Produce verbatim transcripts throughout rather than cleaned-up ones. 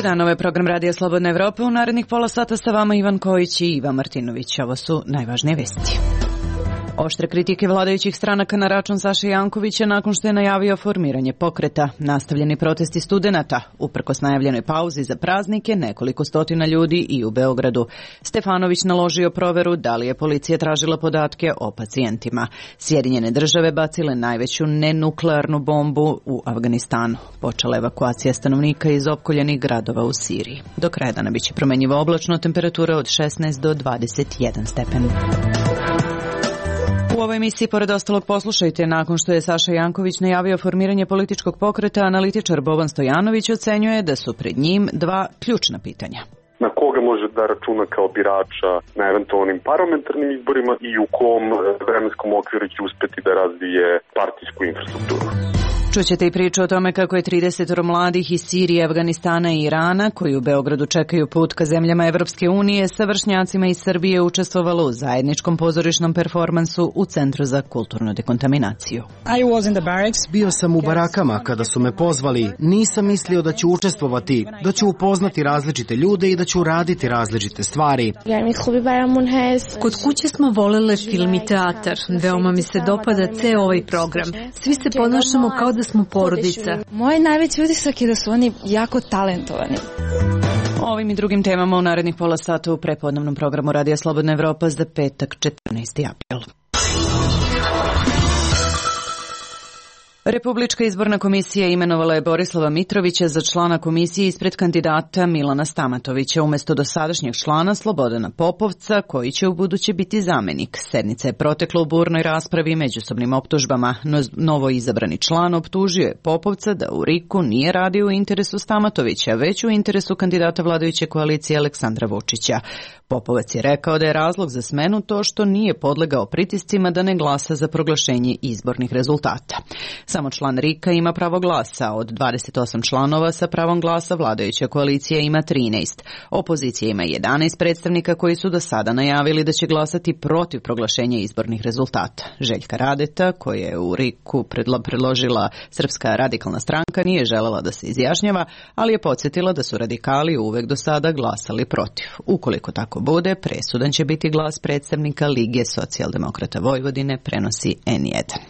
dan, ovo je program Radija Slobodna Evropa. U narednih pola sata sa vama Ivan Kojić i Ivan Martinović. Ovo su najvažnije vesti. Oštre kritike vladajućih stranaka na račun Saše Jankovića nakon što je najavio formiranje pokreta. Nastavljeni protesti studenata, uprkos najavljenoj pauzi za praznike, nekoliko stotina ljudi i u Beogradu. Stefanović naložio proveru da li je policija tražila podatke o pacijentima. Sjedinjene države bacile najveću nenuklearnu bombu u Afganistanu. Počela evakuacija stanovnika iz opkoljenih gradova u Siriji. Do kraja dana biće promenjivo oblačno, temperatura od šesnaest do dvadeset jedan stepen. U ovoj emisiji, pored ostalog, poslušajte, nakon što je Saša Janković najavio formiranje političkog pokreta, analitičar Boban Stojanović ocenjuje da su pred njim dva ključna pitanja. Na koga može da računa kao birača na eventualnim parlamentarnim izborima i u kom vremenskom okviru će uspeti da razvije partijsku infrastrukturu. Čućete i priču o tome kako je trideset mladih iz Sirije, Afganistana i Irana, koji u Beogradu čekaju put ka zemljama Evropske unije, sa vršnjacima iz Srbije učestvovalo u zajedničkom pozorišnom performansu u Centru za kulturnu dekontaminaciju. Bio sam u barakama kada su me pozvali. Nisam mislio da ću učestvovati, da ću upoznati različite ljude i da ću raditi različite stvari. Kod kuće smo volele film i teatar. Veoma mi se dopada ceo ovaj program. Svi se ponašamo kao da smo porodica. Moj najveći utisak je da su oni jako talentovani. Ovim i drugim temama u narednih pola sata u prepodnevnom programu Radija Slobodna Evropa za petak četrnaesti april. Republička izborna komisija imenovala je Borislava Mitrovića za člana komisije ispred kandidata Milana Stamatovića umjesto dosadašnjeg člana Slobodana Popovca, koji će u buduće biti zamenik. Sednica je protekla u burnoj raspravi i međusobnim optužbama. No, novo izabrani član optužio je Popovca da u RIK-u nije radio u interesu Stamatovića, već u interesu kandidata vladajuće koalicije Aleksandra Vučića. Popovac je rekao da je razlog za smenu to što nije podlegao pritiscima da ne glasa za proglašenje izbornih rezultata. Samo član RIK-a ima pravo glasa. Od dvadeset osam članova sa pravom glasa vladajuća koalicija ima trinaest. Opozicija ima jedanaest predstavnika koji su do sada najavili da će glasati protiv proglašenja izbornih rezultata. Željka Radeta, koja je u RIK-u predložila Srpska radikalna stranka, nije želela da se izjašnjava, ali je podsjetila da su radikali uvek do sada glasali protiv. Ukoliko tako bude, presudan će biti glas predstavnika Lige socijaldemokrata Vojvodine, prenosi en jedan.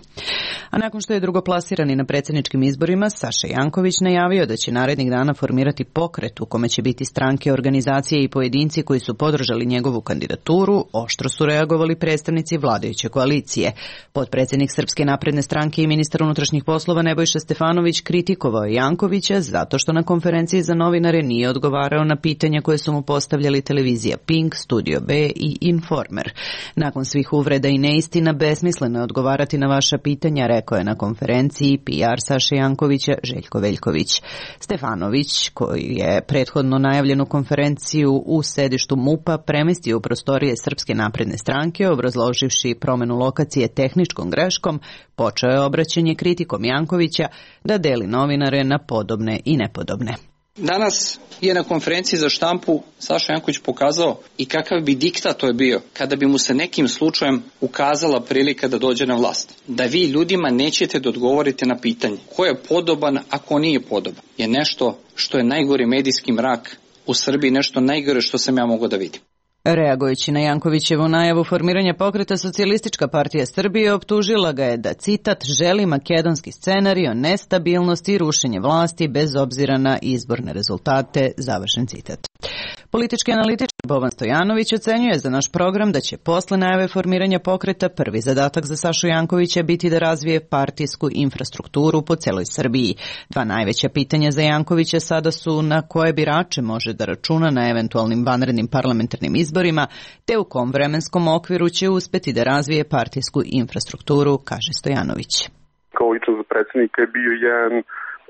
A nakon što je drugoplasirani na predsjedničkim izborima, Saša Janković najavio da će narednih dana formirati pokret u kome će biti stranke, organizacije i pojedinci koji su podržali njegovu kandidaturu, oštro su reagovali predstavnici vladajuće koalicije. Potpredsjednik Srpske napredne stranke i ministar unutrašnjih poslova Nebojša Stefanović kritikovao je Jankovića zato što na konferenciji za novinare nije odgovarao na pitanja koje su mu postavljali televizija Pink, Studio B i Informer. Nakon svih uvreda i neistina, besmisleno je odgovarati na vaša pitanja, rekao je na konferenciji P R Saše Jankovića Željko Veljković. Stefanović, koji je prethodno najavljenu konferenciju u sedištu MUP-a premestio u prostorije Srpske napredne stranke, obrazloživši promenu lokacije tehničkom greškom, počeo je obraćanje kritikom Jankovića da deli novinare na podobne i nepodobne. Danas je na konferenciji za štampu Saša Janković pokazao i kakav bi diktator bio kada bi mu se nekim slučajem ukazala prilika da dođe na vlast. Da vi ljudima nećete da odgovorite na pitanje ko je podoban, a ko nije podoban, je nešto što je najgori medijski mrak u Srbiji, nešto najgore što sam ja mogao da vidim. Reagujući na Jankovićevu najavu formiranja pokreta, Socijalistička partija Srbije optužila ga je da, citat, želi makedonski scenarij o nestabilnosti i rušenje vlasti bez obzira na izborne rezultate, završen citat. Politički analitičar Boban Stojanović ocenjuje za naš program da će posle najave formiranja pokreta prvi zadatak za Sašu Jankovića biti da razvije partijsku infrastrukturu po celoj Srbiji. Dva najveća pitanja za Jankovića sada su na koje birače može da računa na eventualnim vanrednim parlamentarnim izborima, te u kom vremenskom okviru će uspeti da razvije partijsku infrastrukturu, kaže Stojanović. Kao lično za predsjednika je bio jedan,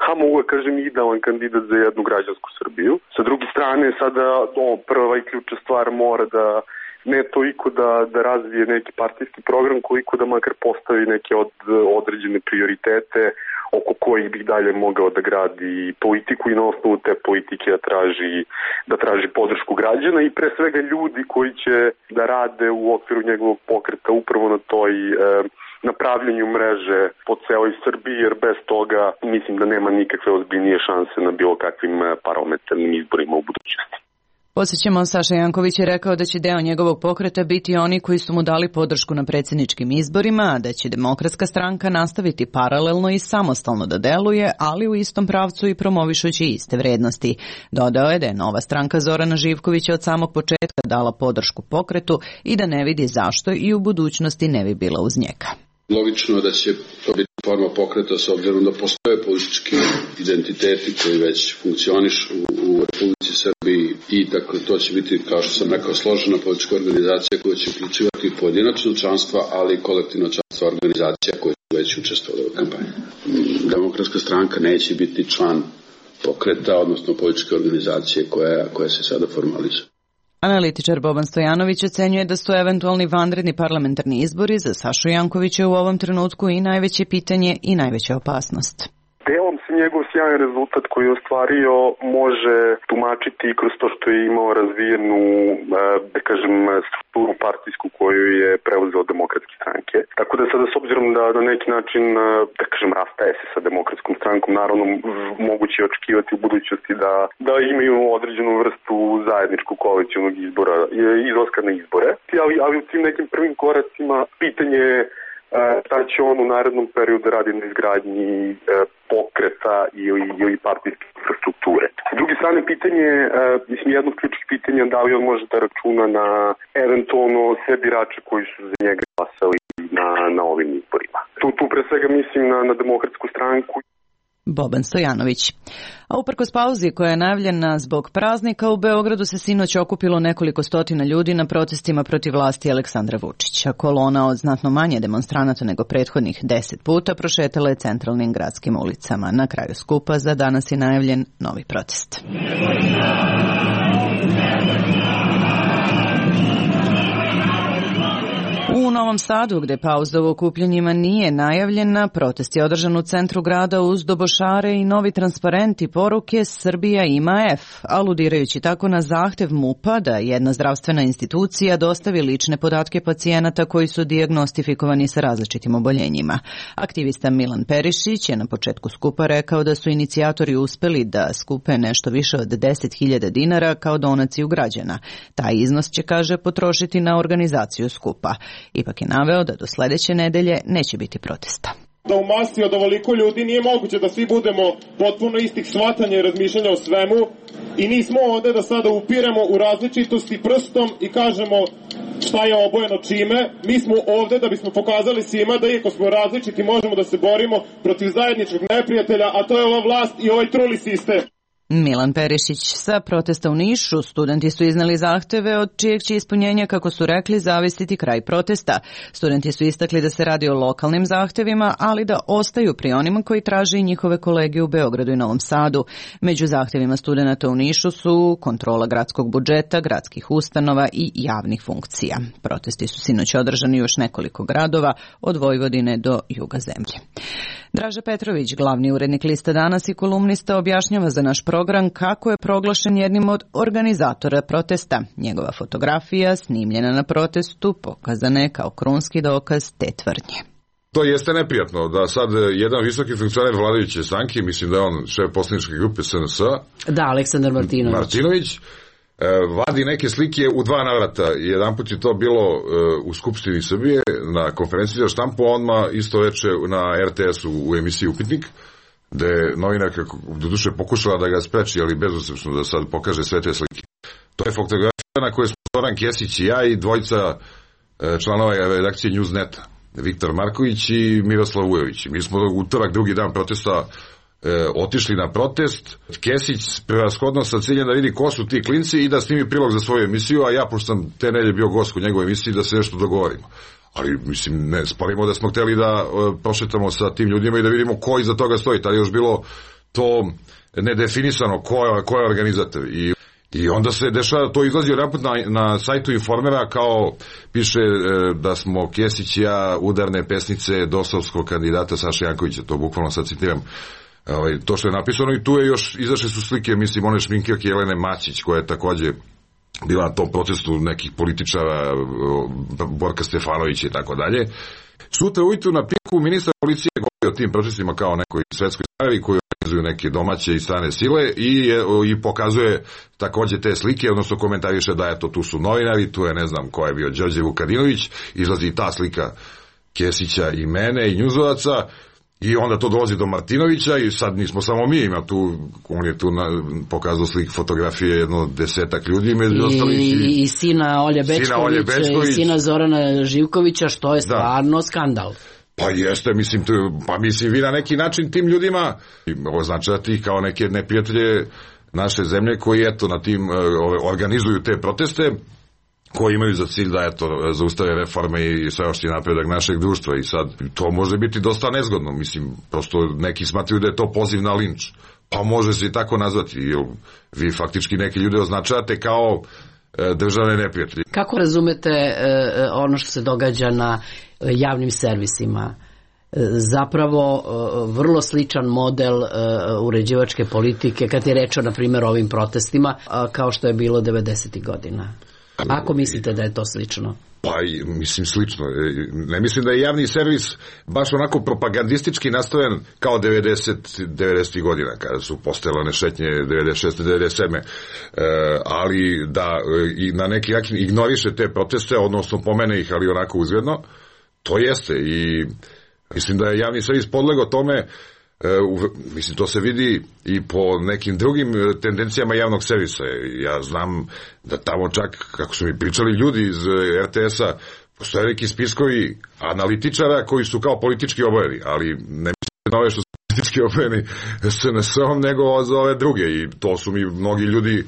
ha mogu da kažem, idealan kandidat za jednu građansku Srbiju. Sa druge strane, sada o, prva i ključna stvar mora da ne toliko da, da razvije neki partijski program, koliko da makar postavi neke od, određene prioritete oko kojih bi dalje mogao da gradi politiku i na osnovu te politike da traži, da traži podršku građana i pre svega ljudi koji će da rade u okviru njegovog pokreta upravo na toj e, na pravljenju mreže po celoj Srbiji, jer bez toga mislim da nema nikakve ozbiljnije šanse na bilo kakvim parlamentarnim izborima u budućnosti. Podsjećamo, Saša Janković je rekao da će deo njegovog pokreta biti oni koji su mu dali podršku na predsjedničkim izborima, a da će Demokratska stranka nastaviti paralelno i samostalno da deluje, ali u istom pravcu i promovišući iste vrednosti. Dodao je da je nova stranka Zorana Živkovića od samog početka dala podršku pokretu i da ne vidi zašto i u budućnosti ne bi bila uz njega. Logično je da će to biti forma pokreta s obzirom da postoje politički identiteti koji već funkcionišu u Republici Srbiji i dakle to će biti, kao što sam rekao, složena politička organizacija koja će uključivati pojedinačno članstva, ali i kolektivno članstvo organizacija koje su već učestvovale u kampanji. Demokratska stranka neće biti član pokreta, odnosno političke organizacije koja, koja se sada formalizuje. Analitičar Boban Stojanović ocenjuje da su eventualni vanredni parlamentarni izbori za Sašu Jankovića u ovom trenutku i najveće pitanje i najveća opasnost. Delom se njegov sjajan rezultat koji je ostvario može tumačiti kroz to što je imao razvijenu, da kažem, strukturu partijsku koju je preuzeo Demokratske stranke. Tako da sada, s obzirom da na neki način, da kažem, rastaje se sa Demokratskom strankom, naravno moguće je očekivati u budućnosti da, da imaju određenu vrstu zajedničkog koalicionog izbora, izlaska na izbore. Ali, ali u tim nekim prvim koracima pitanje je šta će on u narednom periodu radi na izgradnji pokreta ili, ili partijske infrastrukture. S druge strane, pitanje je, mislim, jedno od ključnih pitanja da li on može da računa na eventualno sve birače koji su za njega glasali na, na ovim izborima. Tu, tu pre svega mislim na, na Demokratsku stranku. Boban Stojanović. A uprkos pauzi koja je najavljena zbog praznika, u Beogradu se sinoć okupilo nekoliko stotina ljudi na protestima protiv vlasti Aleksandra Vučića. Kolona od znatno manje demonstranata nego prethodnih deset puta prošetala je centralnim gradskim ulicama. Na kraju skupa za danas je najavljen novi protest. U Novom Sadu, gde pauza u okupljanjima nije najavljena, protest je održan u centru grada uz dobošare i novi transparent i poruke Srbija ima F, aludirajući tako na zahtev MUP-a da jedna zdravstvena institucija dostavi lične podatke pacijenata koji su dijagnostifikovani sa različitim oboljenjima. Aktivista Milan Perišić je na početku skupa rekao da su inicijatori uspeli da skupe nešto više od deset hiljada dinara kao donaciju građana. Taj iznos će, kaže, potrošiti na organizaciju skupa. Ipak je naveo da do sledeće nedelje neće biti protesta. Da u masi od ovoliko ljudi nije moguće da svi budemo potpuno istih shvatanja i razmišljanja o svemu i nismo ovde da sada upiremo u različitosti prstom i kažemo šta je obojeno čime. Mi smo ovde da bismo pokazali svima da iako smo različiti možemo da se borimo protiv zajedničkog neprijatelja, a to je ova vlast i ovaj truli sistem. Milan Perišić. Sa protesta u Nišu studenti su iznali zahteve od čijeg će ispunjenja, kako su rekli, zavisiti kraj protesta. Studenti su istakli da se radi o lokalnim zahtevima, ali da ostaju pri onima koji traže i njihove kolege u Beogradu i Novom Sadu. Među zahtevima studenta u Nišu su kontrola gradskog budžeta, gradskih ustanova i javnih funkcija. Protesti su sinoć održani još nekoliko gradova, od Vojvodine do juga zemlje. Draža Petrović, glavni urednik Lista Danas i kolumnista, objašnjava za naš program kako je proglašen jednim od organizatora protesta. Njegova fotografija, snimljena na protestu, pokazana je kao krunski dokaz te tvrdnje. To jeste neprijatno da sad jedan visoki funkcioner vladajuće stranke, mislim da je on šef poslaničke grupe S N S, da, Aleksandar Martinović, Martinović vadi neke slike u dva navrata. Jedan put je to bilo u Skupštini Srbije na konferenciji za štampu, a odmah isto veče na R T S-u u emisiji Upitnik, gde je novinarka doduše pokušala da ga spreči, ali bezuspešno da sad pokaže sve te slike. To je fotografija na kojoj smo Zoran Kesić i ja i dvojica članova redakcije Newsneta, Viktor Marković i Miroslav Vujović. Mi smo utorak, drugi dan protesta, E, otišli na protest. Kesić prevashodno sa ciljem da vidi ko su ti klinci i da snimi prilog za svoju emisiju, a ja, pošto sam te nedelje bio gost u njegovoj emisiji, da se nešto dogovorimo. Ali, mislim, ne sporimo da smo hteli da e, prošetamo sa tim ljudima i da vidimo ko iza toga stoji. Tada je još bilo to nedefinisano ko, ko je organizator. I I onda se dešava, to izlazi raput na, na sajtu Informera, kao piše e, da smo Kesić i ja udarne pesnice dosovskog kandidata Saše Jankovića, to bukvalno sad citiram. Ovaj, to što je napisano, i tu je još, izašle su slike, mislim, one šminkirke Jelene Mačić, koja je takođe bila na tom protestu nekih političara, Borka Stefanovića i tako dalje. Sutra ujutru na Pinku ministar policije govori o tim protestima kao nekoj svetskoj stvari koji organizuju neke domaće i strane sile i, i pokazuje takođe te slike, odnosno komentariše da eto tu su novinari, tu je ne znam ko je bio Đorđe Vukadinović, izlazi i ta slika Kesića i mene i njuzovaca. I onda to dolazi do Martinovića i sad nismo samo mi, ima tu, on je tu na, pokazao slik fotografije jedno desetak ljudi među ostalih. I, i, i sina Olje Bećkovića i sina Zorana Živkovića, što je stvarno da. skandal. Pa jeste, mislim, tu, pa mislim vi na neki način tim ljudima označati kao neke neprijatelje naše zemlje koji eto na tim organizuju te proteste, koji imaju za cilj da eto zaustave reforme i sveopšti napredak našeg društva i sad to može biti dosta nezgodno, mislim, prosto neki smatraju da je to poziv na linč, pa može se i tako nazvati, jer vi faktički neki ljude označavate kao e, državne neprijatelje. Kako razumete e, ono što se događa na javnim servisima? Zapravo vrlo sličan model uređivačke politike kad je reč o, na primjer, ovim protestima, kao što je bilo devedesetih godina. Ako mislite da je to slično? Pa, mislim, slično. Ne mislim da je javni servis baš onako propagandistički nastaven kao devedesetih godina, kada su postojale one šetnje devedeset šeste devedeset sedme. E, ali da i na neki način ignoriše te proteste, odnosno pomene ih, ali onako uzgredno, to jeste. I mislim da je javni servis podlegao tome. Uh, mislim, to se vidi i po nekim drugim tendencijama javnog servisa. Ja znam da tamo čak, kako su mi pričali ljudi iz er te es-a, postoje neki spiskovi analitičara koji su kao politički obojeni, ali ne mislim na ove što su politički obojeni es en es-om, nego za ove druge. I to su mi mnogi ljudi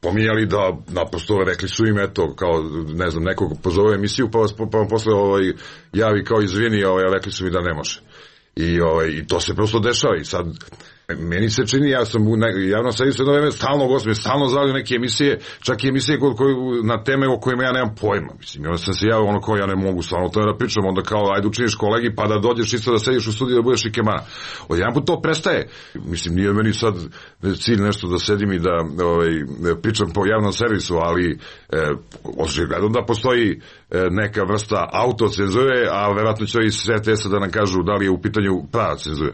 pominjali da naprosto rekli su im eto, kao ne znam, nekog pozove emisiju pa vas pa vam posle ovaj, javi kao izvini, ovaj, rekli su mi da ne može. I, ovaj, i to se prosto dešava i sad meni se čini, ja sam u javnom servisu jedno vreme stalno gostim, stalno zavljaju neke emisije, čak i emisije koje, koje, na teme o kojima ja nemam pojma, mislim, onda sam se javio ono kao ja ne mogu stvarno to da pričam, onda kao ajde učiniš kolegi pa da dođeš isto da sediš u studiju da budeš i kemana. Od jedan put to prestaje, mislim, nije meni sad cilj nešto da sedim i da ovaj, pričam po javnom servisu, ali e, očigledno da postoji e, neka vrsta autocenzure, a verovatno će iz er te es-a da nam kažu da li je u pitanju prava cenzura.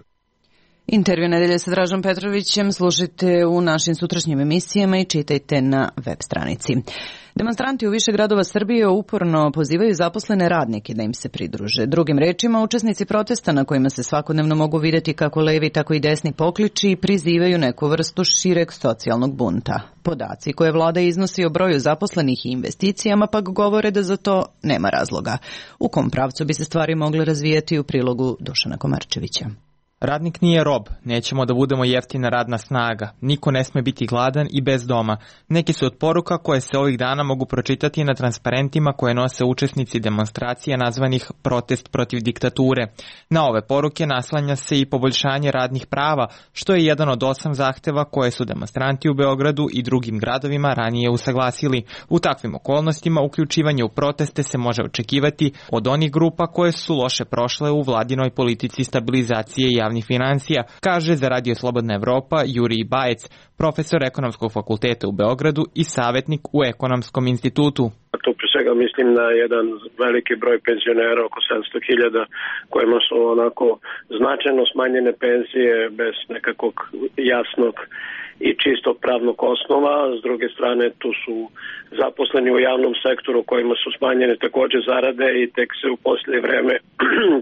Intervju nedelje sa Dražom Petrovićem slušajte u našim sutrašnjim emisijama i čitajte na web stranici. Demonstranti u više gradova Srbije uporno pozivaju zaposlene radnike da im se pridruže. Drugim rečima, učesnici protesta na kojima se svakodnevno mogu videti kako levi, tako i desni pokliči prizivaju neku vrstu šireg socijalnog bunta. Podaci koje vlada iznosi o broju zaposlenih i investicijama pak govore da za to nema razloga. U kom pravcu bi se stvari mogle razvijati u prilogu Dušana Komarčevića. Radnik nije rob, nećemo da budemo jeftina radna snaga, niko ne sme biti gladan i bez doma. Neki su od poruka koje se ovih dana mogu pročitati na transparentima koje nose učesnici demonstracija nazvanih protest protiv diktature. Na ove poruke naslanja se i poboljšanje radnih prava, što je jedan od osam zahteva koje su demonstranti u Beogradu i drugim gradovima ranije usaglasili. U takvim okolnostima uključivanje u proteste se može očekivati od onih grupa koje su loše prošle u vladinoj politici stabilizacije javnih javnih financija, kaže za Radio Slobodna Evropa Jurij Bajec, profesor Ekonomskog fakulteta u Beogradu i savjetnik u Ekonomskom institutu. Tu pre svega mislim na jedan veliki broj penzionera, oko sedamsto hiljada, kojima su onako značajno smanjene penzije bez nekakvog jasnog i čistog pravnog osnova. S druge strane, tu su zaposleni u javnom sektoru kojima su smanjene takođe zarade i tek se u posljednje vreme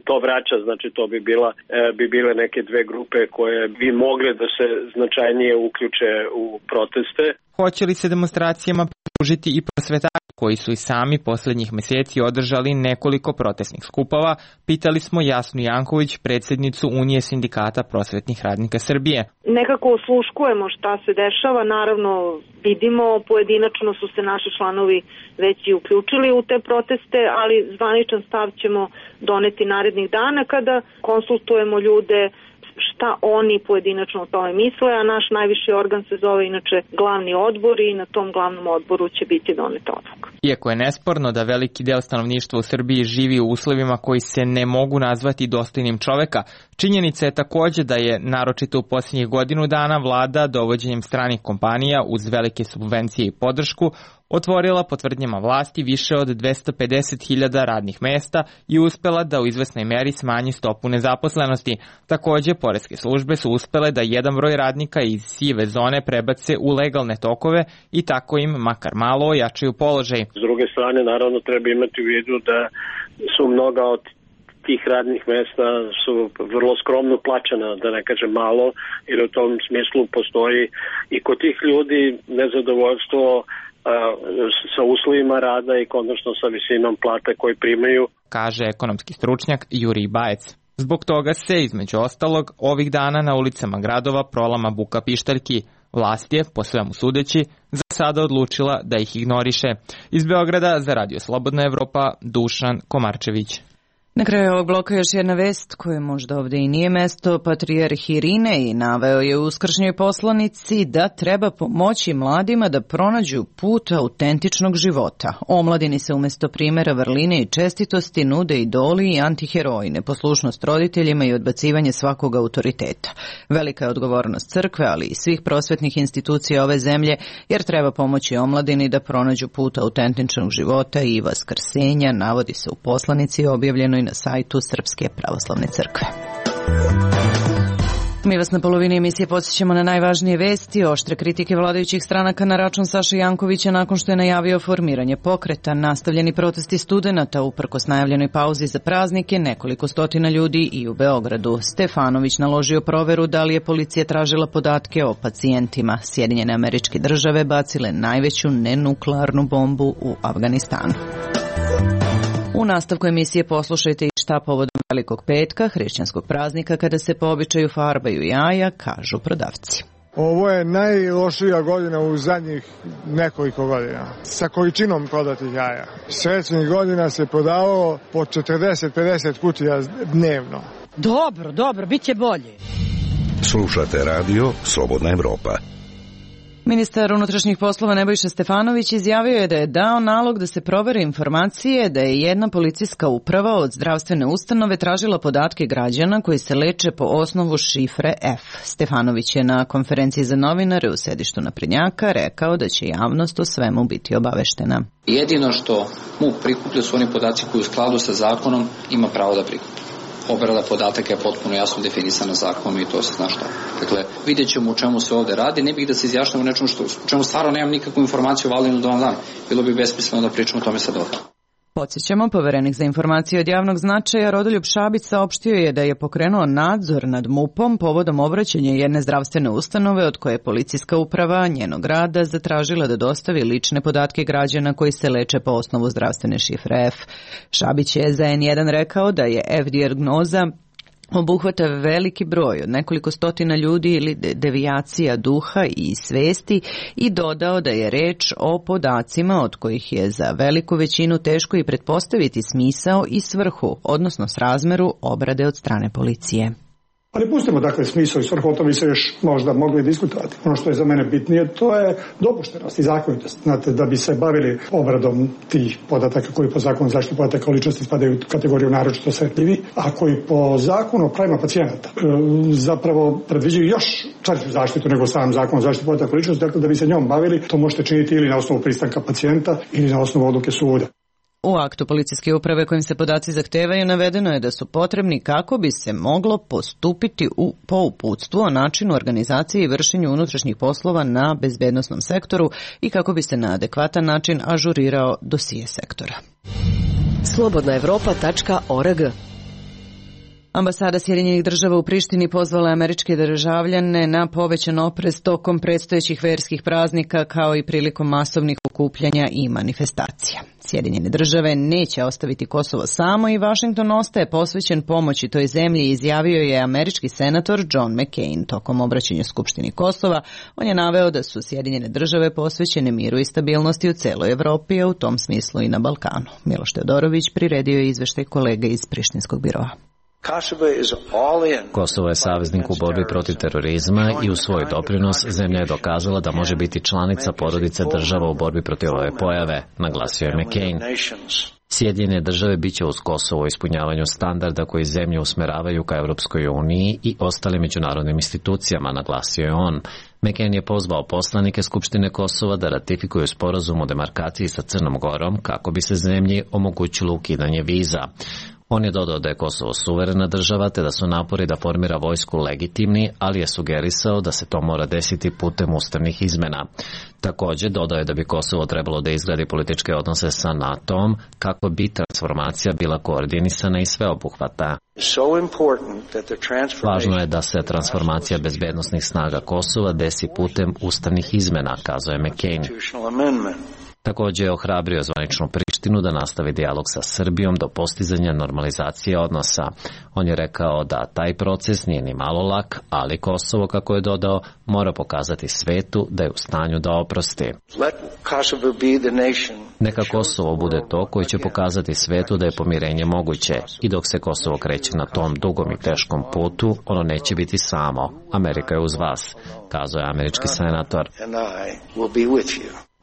to vraća. Znači, to bi, bila, bi bile neke dve grupe koje bi mogle da se značajnije uključe u proteste. Hoće li se demonstracijama pridružiti i prosvetari koji su i sami poslednjih meseci održali nekoliko protestnih skupova, pitali smo Jasnu Janković, predsjednicu Unije sindikata prosvetnih radnika Srbije. Nekako osluškujemo šta se dešava, naravno vidimo, pojedinačno su se naši članovi već i uključili u te proteste, ali zvaničan stav ćemo doneti narednih dana kada konsultujemo ljude šta oni pojedinačno o tome misle, a naš najviši organ se zove inače glavni odbor i na tom glavnom odboru će biti doneta odluka. Iako je nesporno da veliki deo stanovništva u Srbiji živi u uslovima koji se ne mogu nazvati dostojnim čoveka, činjenica je takođe da je, naročito u posljednjih godinu dana, vlada dovođenjem stranih kompanija uz velike subvencije i podršku otvorila po tvrdnjama vlasti više od dvesta pedeset hiljada radnih mesta i uspela da u izvesnoj meri smanji stopu nezaposlenosti. Takođe, poreske službe su uspele da jedan broj radnika iz sive zone prebace u legalne tokove i tako im makar malo ojačaju položaj. S druge strane, naravno, treba imati u vidu da su mnoga od tih radnih mesta su vrlo skromno plaćena, da ne kažem malo, jer u tom smislu postoji i kod tih ljudi nezadovoljstvo sa uslovima rada i konačno sa visinom plate koje primaju, kaže ekonomski stručnjak Jurij Bajec. Zbog toga se, između ostalog, ovih dana na ulicama gradova prolama buka pištaljki. Vlast je, po svemu sudeći, za sada odlučila da ih ignoriše. Iz Beograda za Radio Slobodna Evropa, Dušan Komarčević. Na kraju ovog bloka još jedna vest koja možda ovde i nije mesto. Patrijarh Irinej naveo je u uskršnjoj poslanici da treba pomoći mladima da pronađu put autentičnog života. Omladini se umesto primera vrline i čestitosti nude idoli i antiheroji, neposlušnost roditeljima i odbacivanje svakog autoriteta. Velika je odgovornost crkve, ali i svih prosvetnih institucija ove zemlje, jer treba pomoći omladini da pronađu put autentičnog života i vaskrsenja, navodi se u poslanici objavljenoj na sajtu Srpske pravoslavne crkve. Mi vas na polovini emisije podsjećamo na najvažnije vesti. Oštre kritike vladajućih stranaka na račun Saše Jankovića nakon što je najavio formiranje pokreta. Nastavljeni protesti studenata uprkos najavljenoj pauzi za praznike, nekoliko stotina ljudi i u Beogradu. Stefanović naložio proveru da li je policija tražila podatke o pacijentima. Sjedinjene Američke Države bacile najveću nenuklearnu bombu u Afganistanu. U nastavku emisije poslušajte i šta povodom Velikog petka, hrišćanskog praznika, kada se po običaju farbaju jaja, kažu prodavci. Ovo je najlošija godina u zadnjih nekoliko godina, sa količinom prodatih jaja. Srećnih godina se prodavalo po četrdeset do pedeset kutija dnevno. Dobro, dobro, bit će bolje. Slušate radio Slobodna Evropa. Ministar unutrašnjih poslova Nebojša Stefanović izjavio je da je dao nalog da se provere informacije da je jedna policijska uprava od zdravstvene ustanove tražila podatke građana koji se leče po osnovu šifre F. Stefanović je na konferenciji za novinare u sedištu naprednjaka rekao da će javnost o svemu biti obaveštena. Jedino što MUP prikuplja su oni podaci koji u skladu sa zakonom ima pravo da prikuplja. Obrada podataka je potpuno jasno definisana zakonom i to se zna šta. Dakle, vidjet ćemo u čemu se ovde radi. Ne bih da se izjašnjamo u nečemu što, u čemu stvarno nemam nikakvu informaciju o Valinu do dan. Bilo bi besmisleno da pričamo o tome sad ovdje. Podsjećamo, poverenik za informacije od javnog značaja Rodoljub Šabić saopštio je da je pokrenuo nadzor nad MUP-om povodom obraćanja jedne zdravstvene ustanove od koje je policijska uprava njenog rada zatražila da dostavi lične podatke građana koji se leče po osnovu zdravstvene šifre F. Šabić je za en jedan rekao da je F dijagnoza obuhvata veliki broj od nekoliko stotina ljudi ili devijacija duha i svesti i dodao da je reč o podacima od kojih je za veliku većinu teško i pretpostaviti smisao i svrhu, odnosno srazmeru obrade od strane policije. Ali pustimo dakle smisao i svrhu, o tome bi se još možda mogli diskutovati. Ono što je za mene bitnije, to je dopuštenost i zakonitost. Znate, da bi se bavili obradom tih podataka koji po zakonu zaštite podataka o ličnosti spadaju u kategoriju naročito osetljivi, a koji po zakonu o pravima pacijenata e, zapravo predviđaju još čvršću zaštitu nego sam zakon o zaštiti podataka o ličnosti. Dakle, da bi se njom bavili, to možete činiti ili na osnovu pristanka pacijenta ili na osnovu odluke suda. U aktu policijske uprave kojim se podaci zahtevaju navedeno je da su potrebni kako bi se moglo postupiti u, po uputstvu o načinu organizacije i vršenju unutrašnjih poslova na bezbednosnom sektoru i kako bi se na adekvatan način ažurirao dosije sektora. slobodna evropa tačka org. Ambasada Sjedinjenih Država u Prištini pozvala američke državljane na povećan oprez tokom predstojećih verskih praznika kao i prilikom masovnih okupljanja i manifestacija. Sjedinjene Države neće ostaviti Kosovo samo i Vašington ostaje posvećen pomoći toj zemlji, izjavio je američki senator John McCain tokom obraćanja Skupštini Kosova. On je naveo da su Sjedinjene Države posvećene miru i stabilnosti u celoj Evropi, a u tom smislu i na Balkanu. Miloš Teodorović priredio je izveštaj kolega iz Prištinskog biroa. Kosovo je saveznik u borbi protiv terorizma i u svoj doprinos zemlja je dokazala da može biti članica porodice država u borbi protiv ove pojave, naglasio je McCain. Sjedinjene Države biće uz Kosovo u ispunjavanju standarda koji zemlje usmeravaju ka Evropskoj uniji i ostalim međunarodnim institucijama, naglasio je on. McCain je pozvao poslanike Skupštine Kosova da ratifikuju sporazum o demarkaciji sa Crnom Gorom kako bi se zemlji omogućilo ukidanje viza. On je dodao da je Kosovo suverena država te da su napori da formira vojsku legitimni, ali je sugerisao da se to mora desiti putem ustavnih izmena. Također dodao je da bi Kosovo trebalo da izgradi političke odnose sa NATO-om kako bi transformacija bila koordinisana i sveobuhvatna. Važno je da se transformacija bezbednosnih snaga Kosova desi putem ustavnih izmena, kazao je McCain. Također je ohrabrio zvaničnu Prištinu da nastavi dijalog sa Srbijom do postizanja normalizacije odnosa. On je rekao da taj proces nije ni malo lak, ali Kosovo, kako je dodao, mora pokazati svetu da je u stanju da oprosti. Neka Kosovo bude to koji će pokazati svetu da je pomirenje moguće i dok se Kosovo kreće na tom dugom i teškom putu, ono neće biti samo. Amerika je uz vas, kazao je američki senator.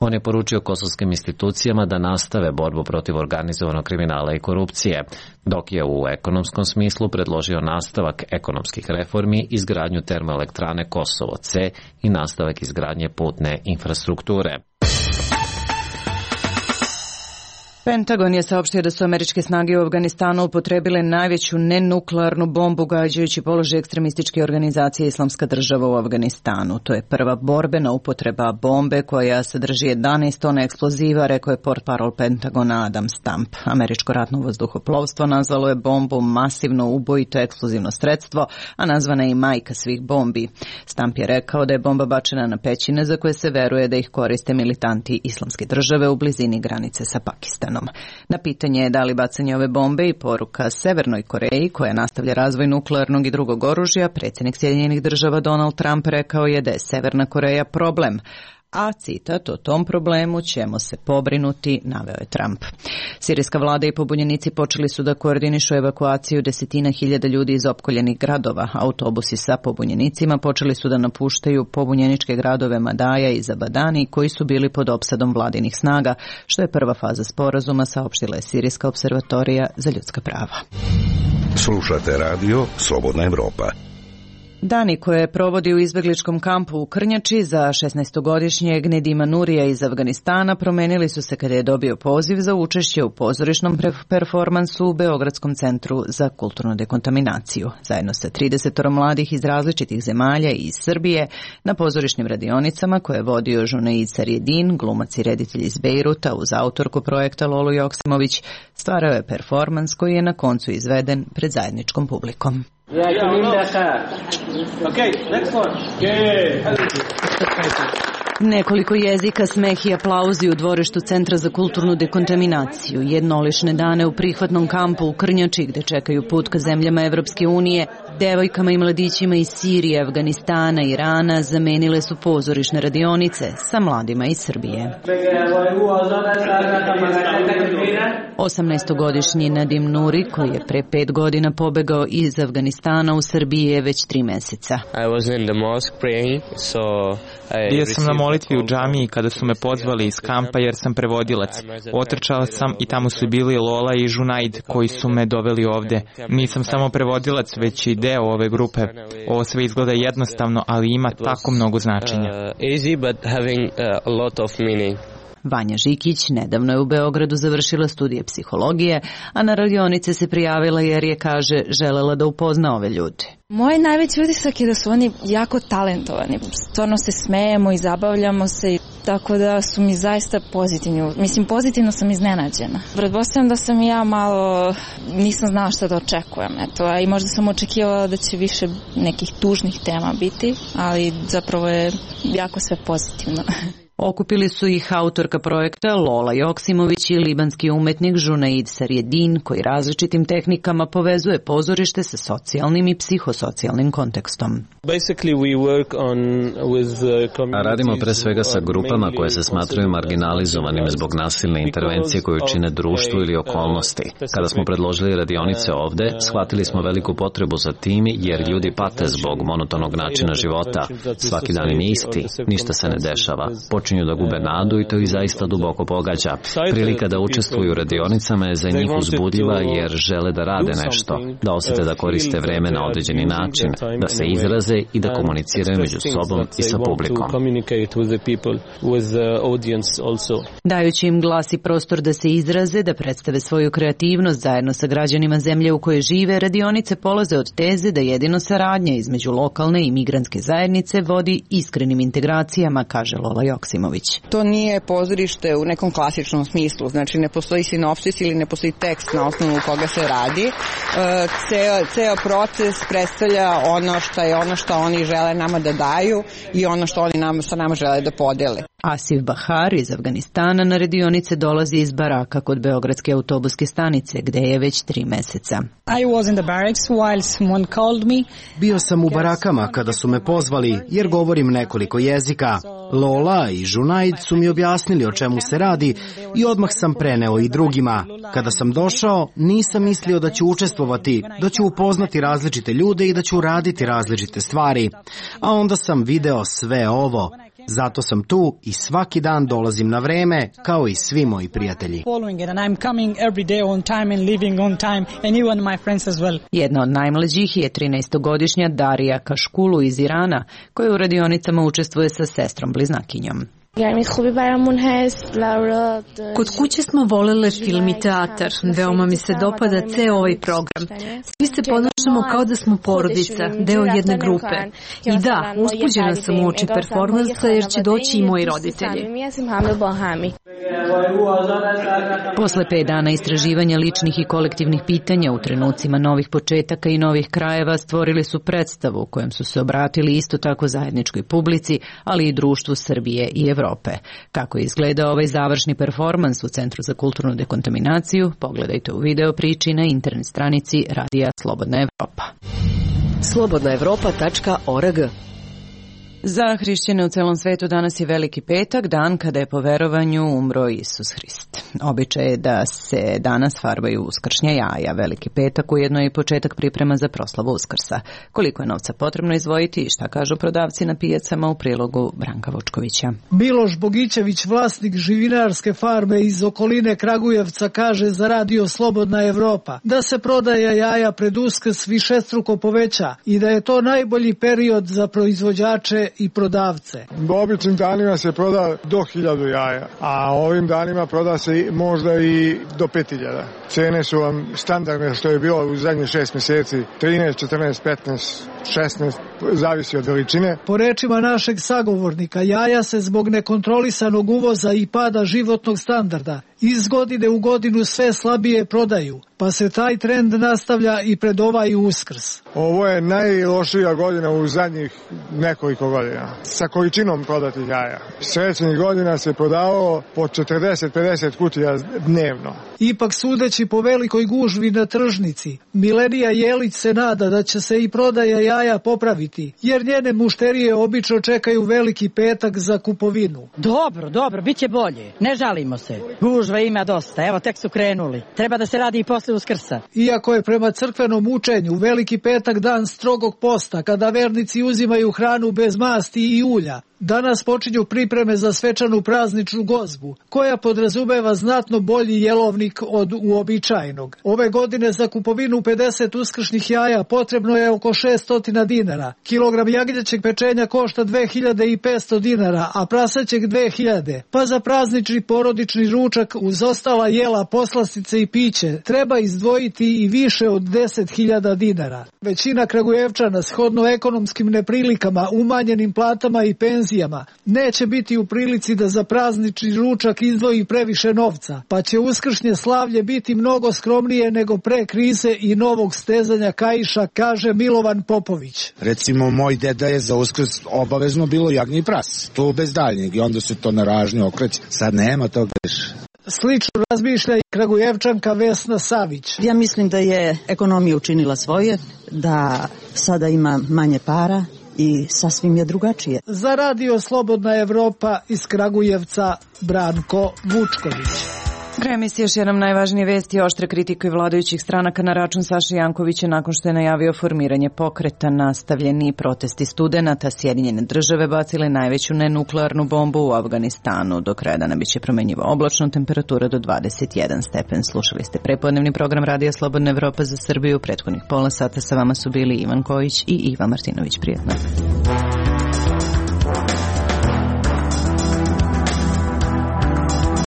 On je poručio kosovskim institucijama da nastave borbu protiv organizovanog kriminala i korupcije, dok je u ekonomskom smislu predložio nastavak ekonomskih reformi, izgradnju termoelektrane Kosovo C i nastavak izgradnje putne infrastrukture. Pentagon je saopštio da su američke snage u Afganistanu upotrebile najveću nenuklearnu bombu gađajući položaj ekstremističke organizacije Islamska država u Afganistanu. To je prva borbena upotreba bombe koja sadrži jedanaest tona eksploziva, rekao je portparol Pentagona Adam Stamp. Američko ratno vazduhoplovstvo nazvalo je bombu masivno ubojito eksplozivno sredstvo, a nazvana je i majka svih bombi. Stamp je rekao da je bomba bačena na pećine za koje se veruje da ih koriste militanti Islamske države u blizini granice sa Pakistanom. Na pitanje je da li bacanje ove bombe i poruka Severnoj Koreji, koja nastavlja razvoj nuklearnog i drugog oružja, predsjednik Sjedinjenih država Donald Trump rekao je da je Severna Koreja problem, a citat, o tom problemu ćemo se pobrinuti, naveo je Trump. Sirijska vlada i pobunjenici počeli su da koordinišu evakuaciju desetina hiljada ljudi iz opkoljenih gradova. Autobusi sa pobunjenicima počeli su da napuštaju pobunjeničke gradove Madaja i Zabadani, koji su bili pod opsadom vladinih snaga, što je prva faza sporazuma, saopštila je Sirijska observatorija za ljudska prava. Slušate radio Slobodna Evropa. Dani koje provodi u izbegličkom kampu u Krnjači za šesnaestogodišnjeg Nedima Nurija iz Afganistana promenili su se kada je dobio poziv za učešće u pozorišnom performansu u Beogradskom centru za kulturnu dekontaminaciju. Zajedno sa trideset mladih iz različitih zemalja i iz Srbije na pozorišnim radionicama koje je vodio Junaid Sarjedin, glumac i reditelj iz Bejruta uz autorku projekta Lolu Joksimović, stvarao je performans koji je na koncu izveden pred zajedničkom publikom. Nekoliko jezika, smeh i aplauzi u dvorištu Centra za kulturnu dekontaminaciju. Jednolišne dane u prihvatnom kampu u Krnjači gde čekaju put ka zemljama Evropske unije, devojkama i mladićima iz Sirije, Afganistana i Irana zamenile su pozorišne radionice sa mladima iz Srbije. osamnaestogodišnji Nadim Nuri, koji je pre pet godina pobegao iz Afganistana u Srbiji, je već tri meseca. Bio sam na molitvi u džamiji kada su me pozvali iz kampa jer sam prevodilac. Otrčao sam i tamo su bili Lola i Junaid koji su me doveli ovde. Nisam samo prevodilac, već i deo ove grupe. Ovo sve izgleda jednostavno, ali ima tako mnogo značenja. Vanja Žikić nedavno je u Beogradu završila studije psihologije, a na radionice se prijavila jer je, kaže, želela da upozna ove ljude. Moj najveći utisak je da su oni jako talentovani. Stvarno se smejemo i zabavljamo se, tako da su mi zaista pozitivni. Mislim, pozitivno sam iznenađena. Pretpostavljam da sam i ja malo, nisam znala šta da očekujem. Eto, a i možda sam očekivala da će više nekih tužnih tema biti, ali zapravo je jako sve pozitivno. Okupili su ih autorka projekta Lola Joksimović i libanski umetnik Junaid Sarjedin, koji različitim tehnikama povezuje pozorište sa socijalnim i psihosocijalnim kontekstom. Radimo pre svega sa grupama koje se smatraju marginalizovanim zbog nasilne intervencije koju čine društvu ili okolnosti. Kada smo predložili radionice ovde, shvatili smo veliku potrebu za tim jer ljudi pate zbog monotonog načina života. Svaki dan im je isti, ništa se ne dešava. počinju da gube nadu i to ih zaista duboko pogađa. Prilika da učestvuju u radionicama je za njih uzbudljiva jer žele da rade nešto, da osete da koriste vreme na određeni način, da se izraze i da komuniciraju među sobom i sa publikom. Dajući im glas i prostor da se izraze, da predstave svoju kreativnost zajedno sa građanima zemlje u kojoj žive, radionice polaze od teze da jedino saradnja između lokalne i migrantske zajednice vodi iskrenim integracijama, kaže Lola Joksimović. To nije pozorište u nekom klasičnom smislu, znači ne postoji sinopsis ili ne postoji tekst na osnovu koga se radi. Ceo, ceo proces predstavlja ono što je ono što oni žele nama da daju i ono što oni nam, sa nama žele da podele. Asif Bahar iz Afganistana na radionice dolazi iz baraka kod Beogradske autobuske stanice, gde je već tri meseca. I was in the barracks while someone called me. Bio sam u barakama kada su me pozvali, jer govorim nekoliko jezika. Lola i Junaid su mi objasnili o čemu se radi i odmah sam preneo i drugima. Kada sam došao, nisam mislio da ću učestvovati, da ću upoznati različite ljude i da ću raditi različite stvari. A onda sam video sve ovo. Zato sam tu i svaki dan dolazim na vreme, kao i svi moji prijatelji. Jedna od najmlađih je trinaestogodišnja Darija Kaškulu iz Irana, koja u radionicama učestvuje sa sestrom bliznakinjom. Kod kuće smo volele film i teatar. Veoma mi se dopada ceo ovaj program. Svi se ponašamo kao da smo porodica, deo jedne grupe. I da, uzbuđena sam u oči performansa jer će doći i moji roditelji. Posle pet dana istraživanja ličnih i kolektivnih pitanja u trenucima novih početaka i novih krajeva stvorili su predstavu u kojem su se obratili isto tako zajedničkoj publici, ali i društvu Srbije i Evrope. Kako je izgledao ovaj završni performans u Centru za kulturnu dekontaminaciju, pogledajte u video priči na internet stranici Radija Slobodna Evropa. slobodna evropa tačka org. Za hrišćane u celom svetu danas je Veliki petak, dan kada je po verovanju umro Isus Hrist. Običaj je da se danas farbaju uskršnja jaja. Veliki petak ujedno je i početak priprema za proslavu Uskrsa. Koliko je novca potrebno izdvojiti i šta kažu prodavci na pijacama u prilogu Branka Vučkovića. Miloš Bogićević, vlasnik živinarske farme iz okoline Kragujevca, kaže za Radio Slobodna Evropa da se prodaja jaja pred Uskrs višestruko poveća i da je to najbolji period za proizvođače i prodavce. U običnim danima se proda do hiljadu jaja, a ovim danima proda se možda i do pet hiljada. Cene su vam standardne što je bilo u zadnjih šest mjeseci, trinaest, četrnaest, petnaest, šesnaest, zavisi od veličine. Po rečima našeg sagovornika, jaja se zbog nekontrolisanog uvoza i pada životnog standarda iz godine u godinu sve slabije prodaju, pa se taj trend nastavlja i pred ovaj Uskrs. Ovo je najlošija godina u zadnjih nekoliko godina sa količinom prodatih jaja. Srećenih godina se prodavalo po četrdeset do pedeset kutija dnevno. Ipak sudeći po velikoj gužvi na tržnici, Milenija Jelić se nada da će se i prodaja jaja popraviti, jer njene mušterije obično čekaju Veliki petak za kupovinu. Dobro, dobro, bit će bolje. Ne žalimo se. Gužva ima dosta, evo tek su krenuli. Treba da se radi i posle Uskrsa. Iako je prema crkvenom učenju Veliki petak dan strogog posta, kada vernici uzimaju hranu bez masti i ulja, danas počinju pripreme za svečanu prazničnu gozbu, koja podrazumeva znatno bolji jelovnik od uobičajenog. Ove godine za kupovinu pedeset uskršnjih jaja potrebno je oko šesto dinara. Kilogram jagnjećeg pečenja košta dve hiljade petsto dinara, a prasećeg dve hiljade. Pa za praznični porodični ručak uz ostala jela, poslastice i piće treba izdvojiti i više od deset hiljada dinara. Većina Kragujevčana shodno ekonomskim neprilikama, umanjenim platama i penzijama neće biti u prilici da za praznični ručak izdvoji previše novca, pa će uskršnje slavlje biti mnogo skromnije nego pre krize i novog stezanja kaiša, kaže Milovan Popović. Recimo, moj deda je za Uskrs obavezno bilo jagnje i pras, to bez daljnjeg, i onda se to na ražnje okreće. Sad nema toga više. Slično razmišlja i Kragujevčanka Vesna Savić. Ja mislim da je ekonomija učinila svoje, da sada ima manje para i sasvim je drugačije. Za Radio Slobodna Evropa iz Kragujevca, Branko Vučković. Kraj emisije još jednom najvažnije vesti. Oštre kritike vladajućih stranaka na račun Saše Jankovića nakon što je najavio formiranje pokreta. Nastavljeni protesti studenata. Sjedinjene države bacile najveću nenuklearnu bombu u Afganistanu. Do kraja dana biće promenjiva oblačno, temperatura do dvadeset jedan stepen. Slušali ste prepodnevni program Radija Slobodna Evropa za Srbiju. Prethodnih pola sata sa vama su bili Ivan Kojić i Iva Martinović. Prijetno.